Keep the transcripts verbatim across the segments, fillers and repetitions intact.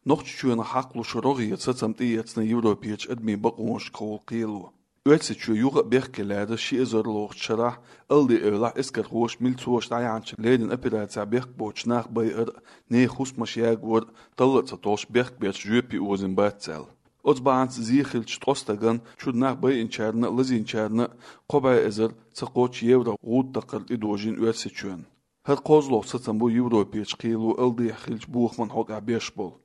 Нохчийчоьнах хьакхалуш рогӀера сацам тӀеэцна Европерчу адамийн бакъонашкахула кхело. Оьрсийчоь юха а бехке лаьрра ши эзар лоьхучу шарахь Алди-Эвлахь эскархоша милцоша дӀаяьхьначу леррина операцехь бехк боцуш нах байар а, нехан хӀусамаш ягор а талла а ца толлуш бехк берш жоьпе озийна бац аьлла. Оцу бахьанца зе хиллачу ткъа стагана, чуьра нах байинчарна а, лазийначарна а кхо бӀе эзар ца кхоччуш евро гӀуда такхар тӀедожийна Оьрсийчоьнна. ХӀара кхозлагӀа сацам бу Европерчу кхело Алдихь хиллачу бохаман хьокъехь беш болу.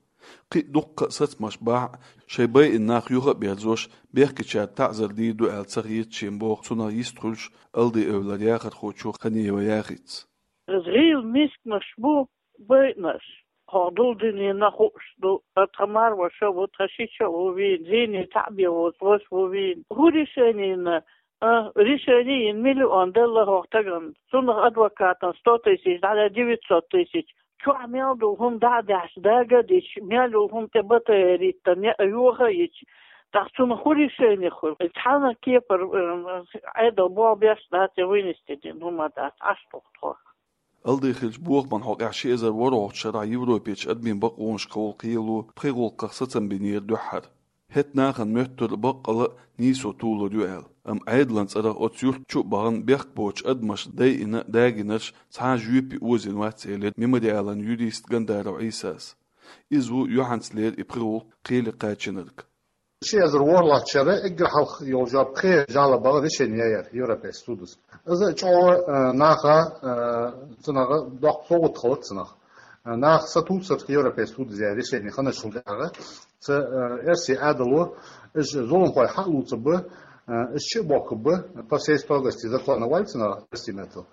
Кхин а дуккха а сацамаш бахь а, шайн байина нах юха а берзош, бехкечаьрга таӀзар дийр ду аьлла ца хета шена боху цунах йист хуьлуш Алди-Эвлара яхархочо Ханиева Яхица. ГӀийла мисканаш бу байинарш. ХӀокху дулдинина хууш ду, тхан марваша а ву, тхан шича а ву вийна, зене таӀбе воцу ваша ву вийна. ХӀун решенина? А, решени йина миллион делла хӀокху стагана. Цунах адвокатан сто тысяч, дӀа девятьсот тысяч. Чохь мел долу хӀума дӀа а даьхьча, дага а дича, мел йолу хӀума тӀе батарейта, неӀ йоха а йича, тӀаккха цунах хӀун решени хуьлу? Цхьана кепара, э, Ӏедал болх беш дац я вынести дина хӀума дац, Ӏаш туху тхо. Алди хиллачу бохаман хьокъехь ши эзар ворхӀалгӀачу шарахь Европерчу адамийн бакъонашкахула кхело пхи гӀуллакхах сацам бинера дуьххьара. ХӀетахь нахана моьттура баккъала а нийсо толур ю аьлла, амма Ӏедалан цӀарах оцу юьрта чу а бахана бехк боцучу адамаша дайина а, дагийнарш цхьа а жоьпе озийна вац, элира Мемориалан юриста Гандаров Ӏийсас. Иза ву юьхьанцалера и пхи гӀуллакх кхеле кхачийнарг. Ши эзар ворхӀалгӀачу шарахь эггара хьалха йолу жоп кхин а жалоба бахьана решени яьяра Европерчу судо. Иза чӀогӀа, э, наха, э, цунах доккха совгӀат хилла цунах. Э, наха сатуьйсура Европерчу судо яьр решени ханаш хилла дагӀа. Ца, э, Оьрсийн Ӏедало, уьш зуламхой хьа а луцург бу, э, уьш чу а бохкург бу, по всей строгости закона ваьлла цунах Оьрсийн маттахь.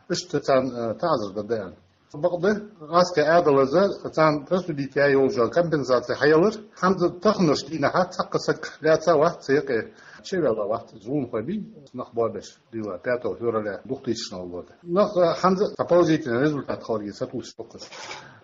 Уьш царна, э, таӀзар дан даьлла. Бакъда, гӀазкхийн Ӏедалаза царна присудить яь йолу жо компенсаци хьаялар, хьанза таханарш дийнахьа цхьаккха саг лаьца а вац цу юкъе, чевелла вац, зуламхой бий, нах бобеш дийла, пятого февраля двух тысячного года. Нах, э, хьанза а положительный результат хиларге сатуьйсуш бу-кх уьш.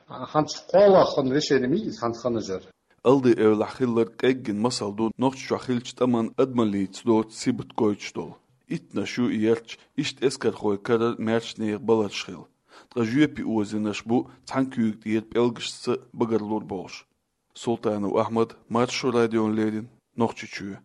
Хьанца кхоалгӀа хана решени ма ю иза хьанца ханна жара. Алди-Эвлахь хилларг кӀеггина масал ду Нохчийчохь хиллачу тӀаман адамаллица доцу сибат гойтуш долу. Иттанаш ю и ярташ иштта эскархой карара маьрша нехан баларш хилла. Ткъа жоьпе озийнарш бу цхьана куьйга тӀера пӀелгашца багарлур болуш. Султанов Ахьмад, Маршо радиона леррина, Нохчийчоь.